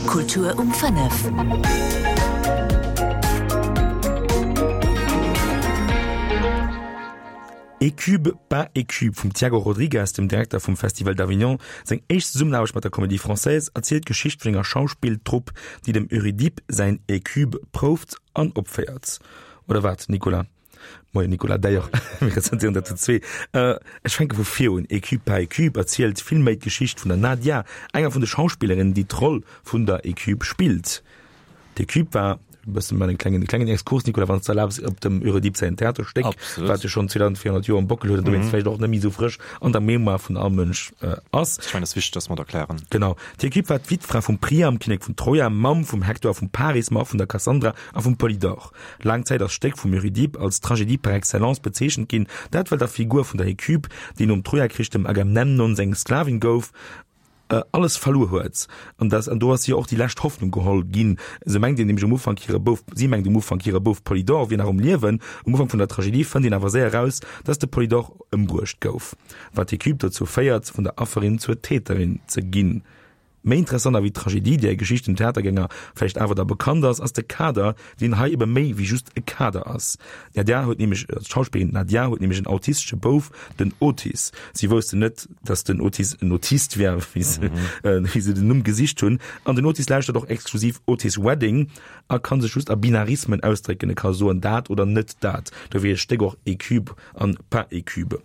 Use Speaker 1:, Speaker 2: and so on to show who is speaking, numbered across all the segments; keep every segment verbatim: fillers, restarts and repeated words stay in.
Speaker 1: Kultur um fënnef.
Speaker 2: Hécube, pas Hécube vum Tiago Rodrigues, dem Direkter vum Festival d'Avignon, seng éischt Zesummenaarbecht mat der Comédie Française, erzielt d'Geschicht vun enger Schauspilltrupp, déi dem Eurydipe säin Hécube prouft an opféiert. Oder wat, Nicolas? Moien Nicolas, d'ailleurs, mir presentéieren dat zu zwee. Ech fänke vu vir un, Hécube, pas Hécube erzielt vill méi d'Geschicht vun der Nadia, enger vun de Schauspillerinnen, déi d'Roll vun der Hécube spillt. D'Hécube war, e bëssen mal en klengen, klengen Exkurs, Nicolas, wann s de erlaabs, op dem Eurydipe säin Theaterstéck,
Speaker 3: Absolut.
Speaker 2: wat jo schonn zweedausendvéierhonnert Joer um Bockel huet an dowéinst vläicht och net méi esou frësch an der Mémoire vun all Mënsch ass.
Speaker 3: Ech mengen, et ass wichteg, dass mer et erklären.
Speaker 2: Genau. D'Hécube war d'Wittfra vum Priam, Kinnek vun Troja, Mamm vum Hektor a vum Paris, ma och vun der Kassandra a vum Polydor. Laang Zäit ass d'Stéck vum Eurydipe als Tragedie par excellence bezeechent ginn, dat well der Figur vun der Hécube, déi nom Trojakrich dem Agamemnon seng Sklavin gouf, alles verluer huet an dass an do ass hir och déi lescht Hoffnung geholl ginn. Se mengt een nämlech um Ufank hire Bouf, si mengt um Ufank hire Bouf Polydor wier nach um Liewen. Um Ufank vun der Tragedie fënnt een awer séier eraus, dass de Polydor ëmbruecht gouf, wat d'Hécube dozou féiert, vun der Afferin zur Täterin ze ginn. Méi interessant ewéi d'Tragedie, där Geschicht dem Theatergänger vläicht awer da bekannt ass, ass de Kader, deen hei ebe méi wéi just e Kader ass. D'Nadia huet nämlech, d'Schauspillerin Nadia huet nämlech en autistesche Bouf, den Otis. Si woussten net, dass den Otis en Autist wär, wéi se, wéi se den Numm gesicht hunn. An den Otis lauschtert och exklusiv Otis Redding a kann sech just a Binarismen ausdrécken, e ka soen dat oder net dat. Dofir heescht d'Stéck och Hécube an pas Hécube.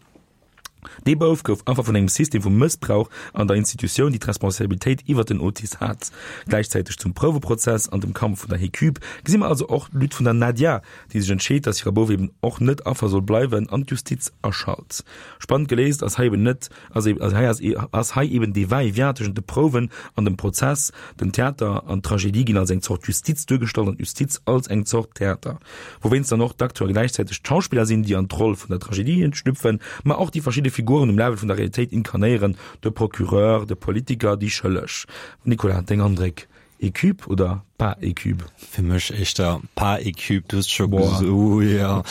Speaker 2: Dee Bouf gouf Affer vun engem System vu Mëssbrauch an der Institutioun, déi d'Responsabilitéit iwwer den Otis hat. Gläichzäiteg zum Prouweprozess an dem Kampf vun der Hécube gesi mer also och d'Lutte vun der Nadia, déi sech entscheet, datt hire Bouf eben och net Affer soll bleiwen an d'Justiz aschalt. Spannend geléist ass hei eben net, ass hei ass hei eben dee Va-et-vient tëschent de Prouwen an dem Prozess. Den Theater an d'Tragedie ginn als eng Zort Justiz duergestallt an d'Justiz als eng Zort Theater. Wouwéinst dann och d'Acteure gläichzäiteg d'Schauspiller sinn, déi an d'Roll vun der Tragedie schlüpfen, ma och déi verschidde Figuren um Level vun der Realitéit inkarnéieren, de Procureur, de Politiker, déi Schëlleg. Nicolas, deng Andréck, Hécube oder pas Hécube?
Speaker 3: Fir mech éischter pas Hécube. Du hues scho gesot, jo,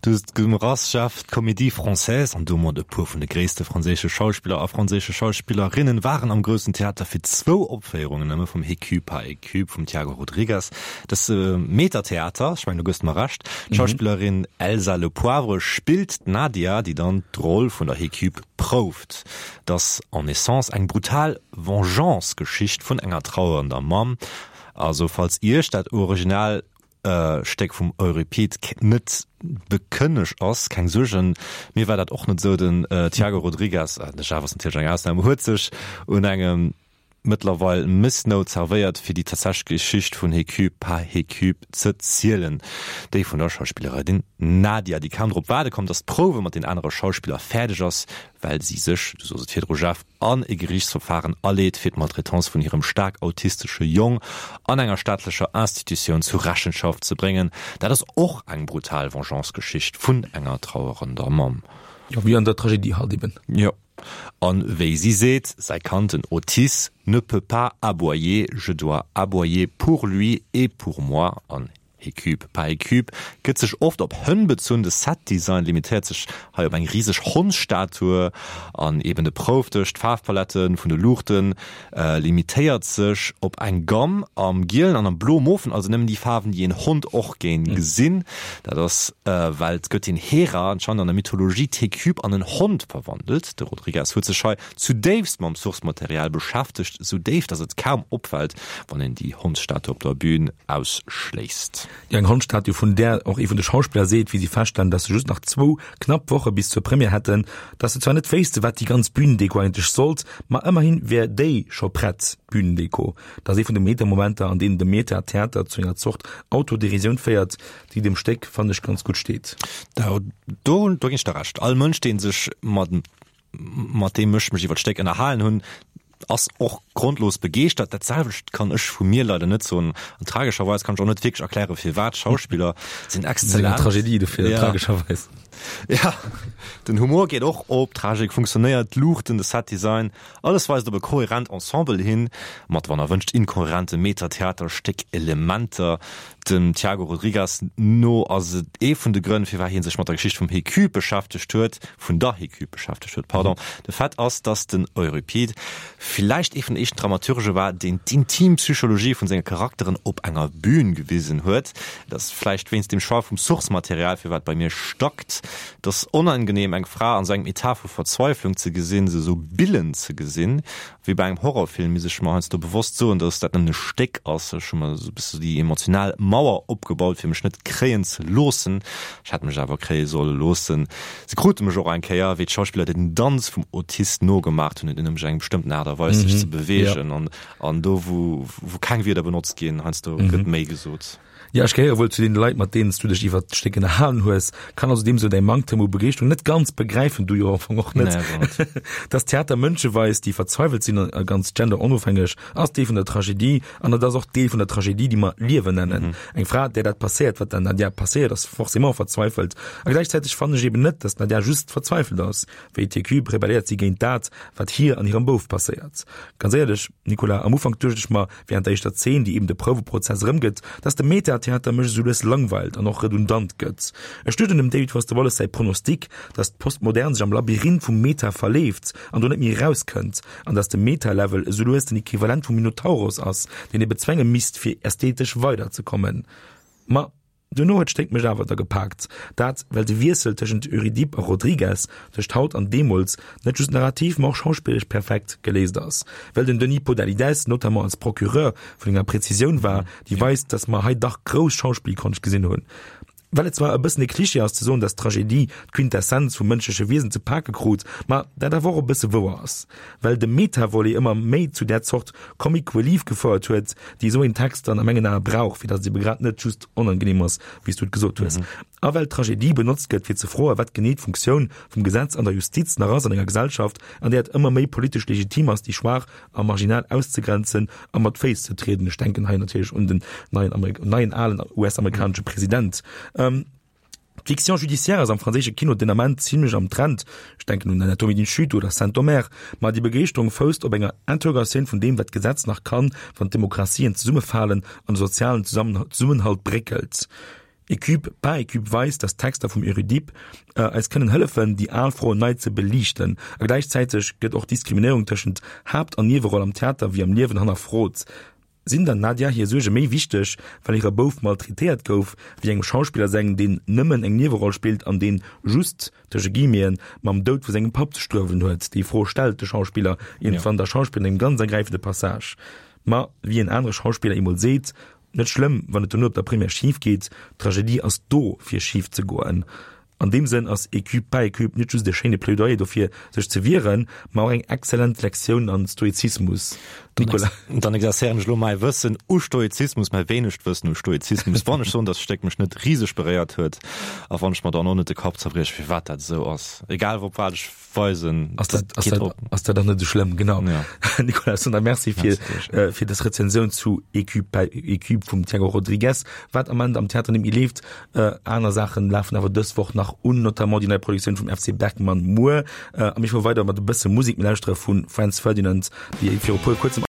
Speaker 3: du hues gemrass, Jeff, d'Comédie Française an domat e puer vun de gréisste franséische Schauspiller a franséische Schauspillerinnen waren am Groussen Theater fir zwou Opféierungen nëmme vum Hécube, pas Hécube vum Tiago Rodrigues. Dat ass Metatheater, ech mengen, du gëss mer Recht. D'Schauspillerin Elsa Lepoivre spillt d'Nadia, déi dann d'Roll vun der Hécube prouft. Et ass en essence eng brutal Vengeance-Geschicht vun enger trauernder Mamm. Also falls Iech dat original Stéck vum Euripide net bekënneg ass, keng Suergen, mir war dat och net esou. Den Tiago Rodrigues, de Jeff ass natierlech eng Ausnam, huet sech un engem mëttlerweil Missnout zerwéiert, fir déi tatsächlech Geschicht vun Hécube par Hécube ze zielen, déi vun der Schauspillerin Nadia, déi kaum drop waarde konnt, datt d'Prouwe mat den anere Schauspiller fäerdeg ass, well si sech, du sos et virdru Jeff, an e Geriichtsverfaren aleet, fir d'Maltraitance vun hirem staark autistesche Jong an enger staatlecher Institutioun zu Rechenschaft ze bréngen. Dat ass och eng brutal Vengeance-Geschicht vun enger trauerender Mamm.
Speaker 2: Jo, wéi an der Tragedie halt eben.
Speaker 3: Jo. An wéi si seet, säi Kand, den Otis, ne peut pas aboyer, je dois aboyer pour lui et pour moi. An Hécube pas Hécube gëtt sech oft op Hënn bezunn, de Set-Design limitéiert sech hei op eng riseg Hondsstatue an eben de Proufdësch, d'Faarfpalette vun de Luuchten limitéiert sech op eng Gamm am Gielen an am Blo-Mofen, also nëmmen déi Faarwen, déi een Hond och géing gesinn. Dat ass, well d'Gëttin Hera anscheinend an der Mythologie d'Hécube an en Hond verwandelt. De Rodrigues huet sech hei zudéifst mam Source-Material beschäftegt, esou déif, datt et kaum opfält, wann een déi Hondsstatue op der Bün ausschléisst.
Speaker 2: Déi eng Hondstatue, vun där och ee vun de Schauspiller seet, wéi si feststellen, datt se just nach zwou knapp Woche bis zur Première hätten, datt se zwar net wéisste wat déi ganz Bühnendeko eigentlech sollt, ma ëmmerhi wär déi scho prett, d'Bühnendeko. Dat ass ee vun de Meta-Momenter, an deenen de Meta-Theater zu enger Zort Autoderisioun féiert, déi dem Stéck, fannen ech, ganz gutt steet.
Speaker 3: Do, do ginn ech der Recht. All Mënsch, dee sech mat mat deem ech mech iwwer d'Stéck ënnerhalen hunn, ass och grondlos begeeschtert. Dat selwecht kann ech vu mir leider net soen. An tragescherweis kann ech och net wierklech erklären, firwat. D'Schauspiller sinn
Speaker 2: Eng
Speaker 3: exzellent.
Speaker 2: Tragedie dofir,
Speaker 3: Ja.
Speaker 2: tragescherweis.
Speaker 3: Ja, den Humor geet och op, d'Tragik funktionéiert, d'Luuchten, de Set-Design, alles weist op e kohärent Ensemble hin, mat wann erwënscht inkohärente Meta-Theaterstéck-Elementer. Dem Tiago Rodrigues no ass et ee vun de Grënn, firwat hie sech mat der Geschicht vum Hécube beschäftegt huet, vun der Hécube beschäftegt huet, pardon. De Fait ass, datt den Euripide villäicht ee vun den éischten Dramaturge war, deen d'intim Psychologie vun senge Charakteren op enger Bün gewisen huet. Et ass vläicht wéinst dem Choix vum Source-Material, firwat bei mir stackt. Et ass onangenehm, eng Fra an esou engem Etat vu Verzweiflung ze gesinn, se esou billen ze gesinn. Wéi bei engem Horrorfilm misst ech mer heiansdo bewosst soen, dass dat nëmmen e Stéck ass. Ech hu mer esou e bësse déi emotional Mauer opgebaut, fir mech net kréien ze loossen. Ech hätt mech awer kréie solle loossen. Se krute mech och eng Kéier, wéi d'Schauspiller den Danz vum Autist nogemaach hunn, huet nämlech eng bestëmmten Aart a Weis sech ze beweegen an an do wou wou keng Wierder benotzt ginn, heiansdo gëtt méi gesot.
Speaker 2: Jo, ech gehéiere wuel zu deene Leit, mat deenen s du dech iwwert d'Stéck ënnerhalen hues, kann also deem sou däi Manktem u Begeeschterung net ganz begräifen, du jo am Fong och net.
Speaker 3: Nee, net.
Speaker 2: Dass Theater Mënsche weist, déi verzweiwelt sinn, a ganz genderonofhängeg, ass Deel vun der Tragedie, an et ass och Deel vun der Tragedie, déi mer Liewen nennen. Eng Fra, där dat passéiert, wat der Nadia passéiert, ass forcément verzweifelt. A gläichzäiteg fannen ech eben net, dass d'Nadia just verzweifelt ass. Wéi d'Hécube rebelléiert si géint dat, wat hir an hirem Bouf passéiert. Ganz éierlech, Nicolas, am Ufank duecht ech mer, Während der éischter Zeen, déi eben de Prouweprozess erëmgëtt, dass de Meta-Theater mech esou lues langweilt an och redundant gëtt. Ech duecht un dem David Foster Wallace säi Pronostic, dass d'Postmodern sech am Labyrinth vum Meta verleeft an do net méi erauskënnt, an dass de Meta-Level esou lues den Equivalent vum Minotauros ass, deen ee bezwenge misst, fir ästhetesch weiderzekommen. Ma duerno huet d'Stéck mech awer da gepaakt. Dat, well de Wiessel tëschent Eurydipe a Rodriguez, tëscht haut an deemools, net just narrativ, ma och schauspilleresch perfekt geléist ass. Well den Denis Podalydès notamment als Procureur vun enger Präzisioun war, déi weist, datt mer hei dach grouss Schauspillkonscht gesinn hunn. Well et zwar e bëssen e Klischee ass ze soen, dass d'Tragedie d'Quintessenz vum mënschleche Wiesen ze pake krut, ma dat awer och e bësse wouer ass, well de Meta-Volet ëmmer méi zu där Zort Comic Relief gefouert huet, déi esou een Text dann a mengen Ae brauch, fir dass et ebe grad net just onangenehm ass, wéi s du et gesot hues. A well d'Tragedie benotzt gëtt, fir ze froen, wat genee d'Funktioun vum Gesetz an der Justiz nach ass an enger Gesellschaft, an där et ëmmer méi politesch legitim ass, déi Schwaach a marginal auszegrenzen a mat Féiss ze trieden, ech denken hei natierlech un den neien, neien alen U S-amerikanesche President. Ähm, D'Fiction judiciaire ass am franséische Kino den Ament zimlech am Trend, ech denken un Anatomie d'une chute oder Saint-Omer, ma déi Begeeschterung fousst op enger Interrogatioun vun deem, wat d'Gesetz nach kann, wann d'Demokratien zesummefalen an de sozialen Zesummenhalt bréckelt. Hécube pas Hécube weist, dass d'Texter vum Eurydipe eis kënnen hëllefen, déi al Froen nei ze beliichten. A gläichzäiteg gëtt och d'Diskriminéierung tëschent Haapt an Nieweroll am Theater wéi am Liewen hannerfrot. Sinn der Nadia hir Suerge méi wichteg, well hire Bouf maltraitéiert gouf, wéi engem Schauspiller seng, deen nëmmen eng Nieweroll spillt an deen just, tësche Guillemeten, mam Doud vu sengem Papp ze struewelen huet? Déi Fro stellt de Schauspiller iergendwann der Schauspillerin an engem ganz ergräifende Passage. Ma wéi en anere Schauspiller eemol seet, Net schlëmm, wann et dono op der Première schif geet, d'Tragedie ass do, fir schif ze goen. An deem Sënn ass Hécube pas Hécube net just e schéine Plädoyer dofir, sech ze wieren, ma och eng exzellent Lektioun an Stoizismus.
Speaker 3: Nicolas. Dann exerzéieren ech elo mäi Wëssen u Stoizismus, mäi wéinegt Wëssen u Stoizismus, wann ech soen, dass d'Stéck mech net riseg beréiert huet a wann ech mer dann och net de Kapp zerbrieche, firwat dat esou ass, egal op wat ech weisen.
Speaker 2: Ass dat, ass dat, ass dat dann net esou schlëmm? Genau.
Speaker 3: Ja.
Speaker 2: Nicolas Sonder, merci fir, äh, fir dës Rezensioun zu Hécube, Hécube vum Tiago Rodrigues, wat am Ament am Theater net méi leeft. Äh, aner Saachen lafen awer dës Woch nach un, notamment déi nei Produktioun vum F C Bergmann muer. Äh, a mir fuere weider mat e bësse Musek, mir lauschtere vu Franz Ferdinand, déi viru puer kuerzem